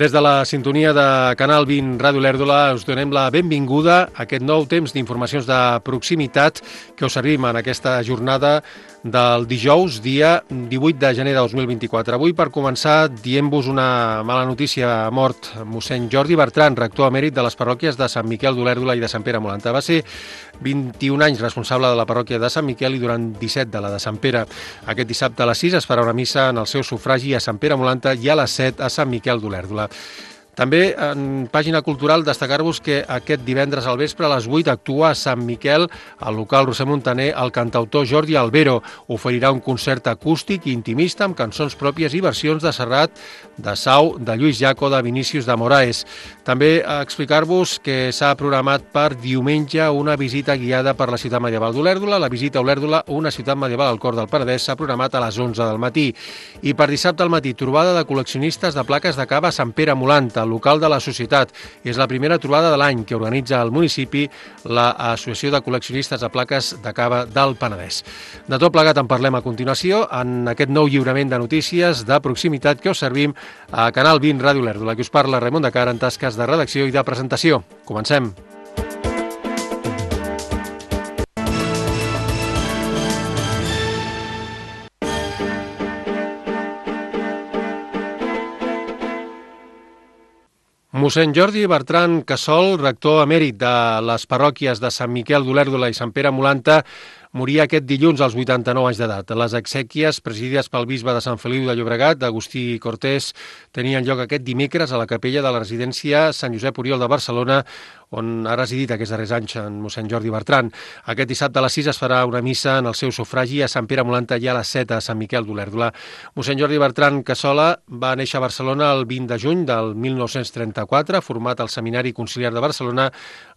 Des de la sintonia de Canal 20 Ràdio Olèrdola us donem la benvinguda a aquest nou temps d'informacions de proximitat que us servim en aquesta jornada del dijous, dia 18 de gener de 2024. Avui, per començar, dient-vos una mala notícia. Ha mort mossèn Jordi Bertran, rector emèrit de les parròquies de Sant Miquel d'Olèrdola i de Sant Pere Molanta. Va ser 21 anys responsable de la parròquia de Sant Miquel i durant 17 de la de Sant Pere. Aquest dissabte a les 6 es farà una missa en el seu sufragi a Sant Pere Molanta i a les 7 a Sant Miquel d'Olèrdola. També, en pàgina cultural, destacar-vos que aquest divendres al vespre a les 8 actua a Sant Miquel, al local Roser Montaner, el cantautor Jordi Albero. Oferirà un concert acústic i intimista amb cançons pròpies i versions de Serrat, de Sau, de Lluís Llach o de Vinícius de Moraes. També explicar-vos que s'ha programat per diumenge una visita guiada per la ciutat medieval d'Olèrdola. La visita a Olèrdola, una ciutat medieval al cor del Penedès, s'ha programat a les 11 del matí. I per dissabte al matí, trobada de col·leccionistes de plaques de cava a Sant Pere Molanta, al local de la societat. És la primera trobada de l'any que organitza al municipi l'Associació de Col·leccionistes de Plaques de Cava del Penedès. De tot plegat en parlem a continuació en aquest nou lliurament de notícies de proximitat que us servim a Canal 20 Ràdio Olèrdola. Aquí us parla Raimon de Cara en tasques de redacció i de presentació. Comencem. Mossèn Jordi Bertran Casol, rector emèrit de les parròquies de Sant Miquel d'Olèrdola i Sant Pere Molanta, moria aquest dilluns als 89 anys d'edat. Les exèquies, presidides pel bisbe de Sant Feliu de Llobregat, Agustí Cortés, tenien lloc aquest dimecres a la capella de la residència Sant Josep Oriol de Barcelona, on ha residit aquests darrers anys en mossèn Jordi Bertran. Aquest dissabte a les 6 es farà una missa en el seu sufragi a Sant Pere Molanta i a les 7 a Sant Miquel d'Olèrdola. Mossèn Jordi Bertran Cassola va néixer a Barcelona el 20 de juny del 1934, format al Seminari Conciliar de Barcelona,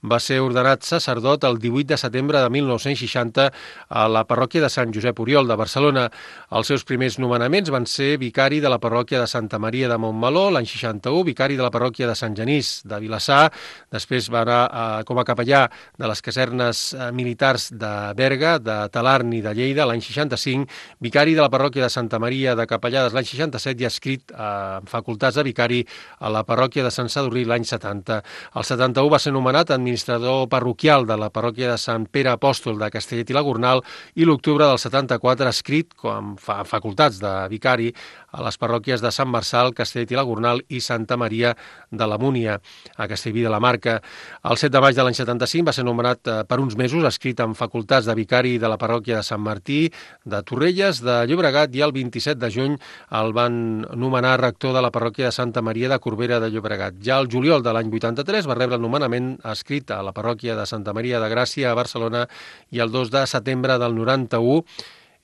va ser ordenat sacerdot el 18 de setembre de 1960 a la parròquia de Sant Josep Oriol de Barcelona. Els seus primers nomenaments van ser vicari de la parròquia de Santa Maria de Montmeló, l'any 61, vicari de la parròquia de Sant Genís de Vilassar, després va anar com a capellà de les casernes militars de Berga, de Talarn i de Lleida l'any 65, vicari de la parròquia de Santa Maria de Capellades l'any 67 i escrit en facultats de vicari a la parròquia de Sant Sadurní l'any 70. El 71 va ser nomenat administrador parroquial de la parròquia de Sant Pere Apòstol de Castellet i la Gornal i l'octubre del 74 escrit com facultats de vicari a les parròquies de Sant Marçal, Castellet i la Gornal i Santa Maria de la Múnia, a Castellví de la Marca. El 7 de maig de l'any 75 va ser nomenat per uns mesos escrit en facultats de vicari de la parròquia de Sant Martí, de Torrelles, de Llobregat, i el 27 de juny el van nomenar rector de la parròquia de Santa Maria de Corbera de Llobregat. Ja el juliol de l'any 83 va rebre el nomenament escrit a la parròquia de Santa Maria de Gràcia a Barcelona i el 2 de setembre del 91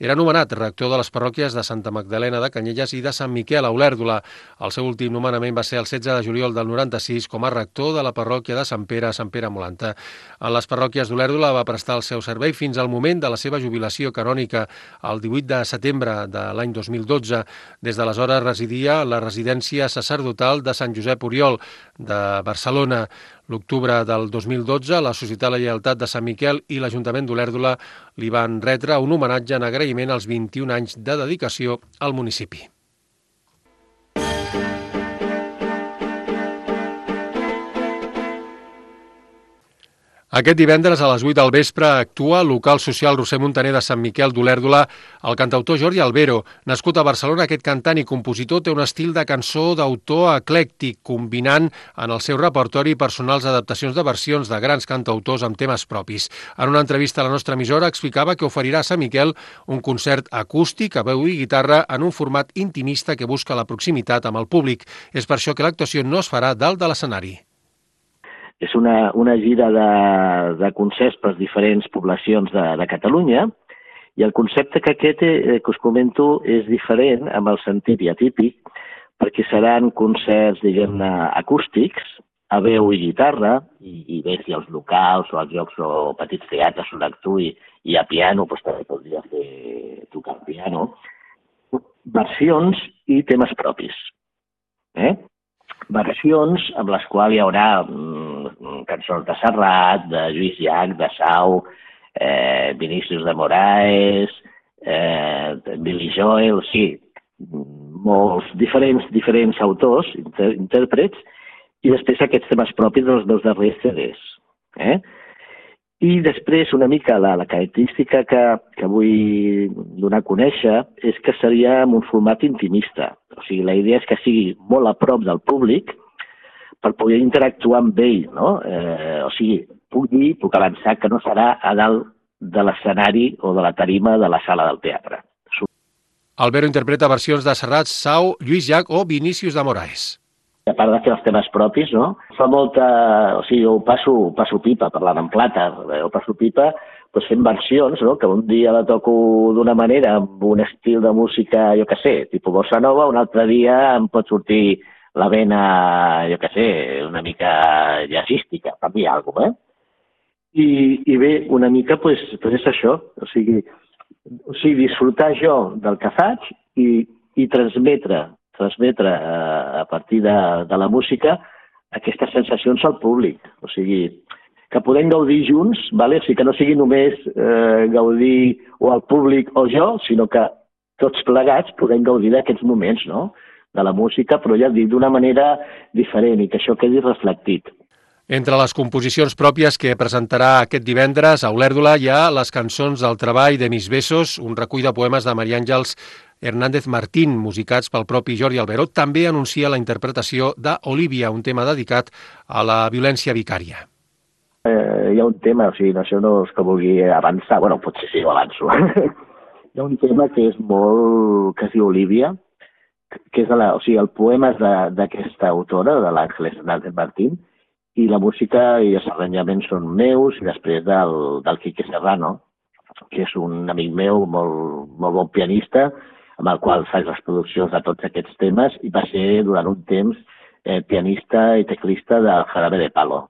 era nomenat rector de les parròquies de Santa Magdalena de Canyelles i de Sant Miquel a Olèrdola. El seu últim nomenament va ser el 16 de juliol del 96 com a rector de la parròquia de Sant Pere a Sant Pere Molanta. En les parròquies d'Olèrdola va prestar el seu servei fins al moment de la seva jubilació canònica, el 18 de setembre de l'any 2012. Des d'aleshores residia a la residència sacerdotal de Sant Josep Oriol de Barcelona. L'octubre del 2012, la Societat La Lleialtat de Sant Miquel i l'Ajuntament d'Olèrdola li van retre un homenatge en agraïment als 21 anys de dedicació al municipi. Aquest divendres a les 8 del vespre actua al local social Roser Montaner de Sant Miquel d'Olèrdola el cantautor Jordi Albero. Nascut a Barcelona, aquest cantant i compositor té un estil de cançó d'autor eclèctic, combinant en el seu repertori personals adaptacions de versions de grans cantautors amb temes propis. En una entrevista a la nostra emissora explicava que oferirà a Sant Miquel un concert acústic a veu i guitarra en un format intimista que busca la proximitat amb el públic. És per això que l'actuació no es farà dalt de l'escenari. És una gira de concerts per diferents poblacions de Catalunya i el concepte que que us comento és diferent amb el sentit i atípic perquè seran concerts, diguem-ne, acústics, a veu i guitarra, i bé, si els locals o els llocs o petits teatres on actuï i a piano, doncs també podria tocar el piano, versions i temes propis. Versions amb les quals hi haurà cançons de Serrat, de Lluís Llach, de Sau, Vinícius de Moraes, Billy Joel, sí, molts diferents autors, intèrprets, i després aquests temes propis dels dos darrers CDs. I després, una mica, la característica que vull donar a conèixer és que seria en un format intimista. O sigui, la idea és que sigui molt a prop del públic per poder interactuar amb ell, no? O sigui, puc avançar que no serà a dalt de l'escenari o de la tarima de la sala del teatre. Albero interpreta versions de Serrat, Sau, Lluís Llach o Vinícius de Moraes. A part de fer els temes propis, no? Fa molta... O sigui, jo passo pipa, parlant en plata, jo passo pipa doncs fent versions, no? Que un dia la toco d'una manera, amb un estil de música, jo què sé, tipus bossa nova, un altre dia em pot sortir la vena, jo què sé, una mica jazzística, per dir alguna cosa, I bé, una mica, doncs és això, o sigui, disfrutar jo del que faig i transmetre a partir de la música aquestes sensacions al públic. O sigui, que podem gaudir junts, o sigui, que no sigui només gaudir o el públic o jo, sinó que tots plegats podem gaudir d'aquests moments, no?, de la música, però ja dic, d'una manera diferent i que això quedi reflectit. Entre les composicions pròpies que presentarà aquest divendres a Olèrdola hi ha les cançons del treball de Mis Besos, un recull de poemes de Maria Àngels Hernández Martín, musicats pel propi Jordi Albero. També anuncia la interpretació d'Olívia, un tema dedicat a la violència vicària. Hi ha un tema, o sigui, no, això no és que vulgui avançar, bueno, potser sí, ho avanço. Hi ha un tema que és que es diu Olívia, que és el poema és d'aquesta autora, de l'Àngels Hernández Martín, i la música i els arranjaments són meus i després del Quique Serrano, que és un amic meu molt bon pianista, amb el qual faig les produccions de tots aquests temes i va ser durant un temps pianista i teclista del Jarabe de Palo.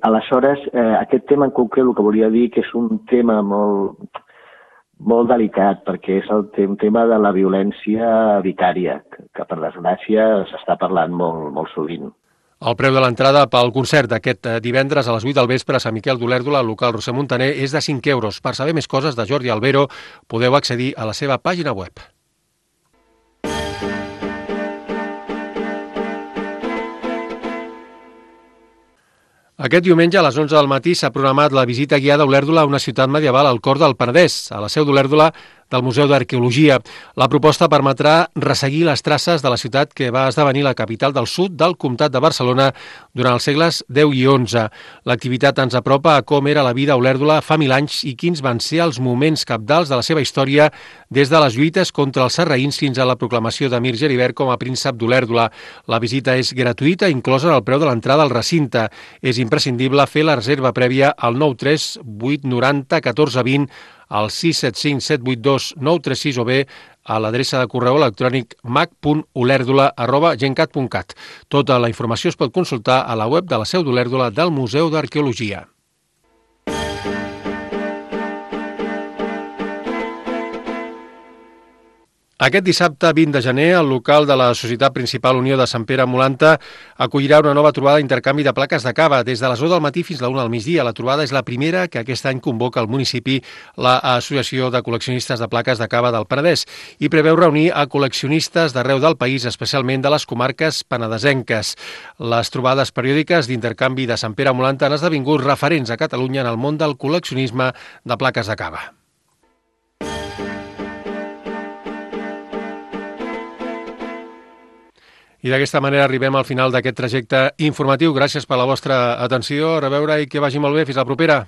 Aleshores, aquest tema en concret el que volia dir que és un tema molt delicat, perquè és el tema de la violència vicària, que per desgràcia s'està parlant molt sovint. El preu de l'entrada pel concert d'aquest divendres a les 8 del vespre a Sant Miquel d'Olèrdola, al local Roser Montaner, és de 5 euros. Per saber més coses de Jordi Albero, podeu accedir a la seva pàgina web. Aquest diumenge a les 11 del matí s'ha programat la visita guiada a Olèrdola, una ciutat medieval al cor del Penedès, a la seu d'Olèrdola del Museu d'Arqueologia. La proposta permetrà resseguir les traces de la ciutat que va esdevenir la capital del sud del Comtat de Barcelona durant els segles X i XI. L'activitat ens apropa a com era la vida a Olèrdola fa 1000 anys i quins van ser els moments cabdals de la seva història, des de les lluites contra els sarraïns fins a la proclamació d'Emir Geribert com a príncep d'Olèrdola. La visita és gratuïta, inclosa en el preu de l'entrada al recinte. És imprescindible fer la reserva prèvia al 93 890 1420, al 675 782 936 o bé a l'adreça de correu electrònic mac.olèrdola@gencat.cat. Tota la informació es pot consultar a la web de la seu d'Olèrdola del Museu d'Arqueologia. Aquest dissabte 20 de gener, el local de la Societat Principal Unió de Sant Pere Molanta acollirà una nova trobada d'intercanvi de plaques de cava. Des de les 10 del matí fins a la 1 del migdia. La trobada és la primera que aquest any convoca al municipi l'Associació de Col·leccionistes de Plaques de Cava del Penedès i preveu reunir a col·leccionistes d'arreu del país, especialment de les comarques penedesenques. Les trobades periòdiques d'intercanvi de Sant Pere Molanta han esdevingut referents a Catalunya en el món del col·leccionisme de plaques de cava. I d'aquesta manera arribem al final d'aquest trajecte informatiu. Gràcies per la vostra atenció. A reveure i que vagi molt bé. Fins la propera.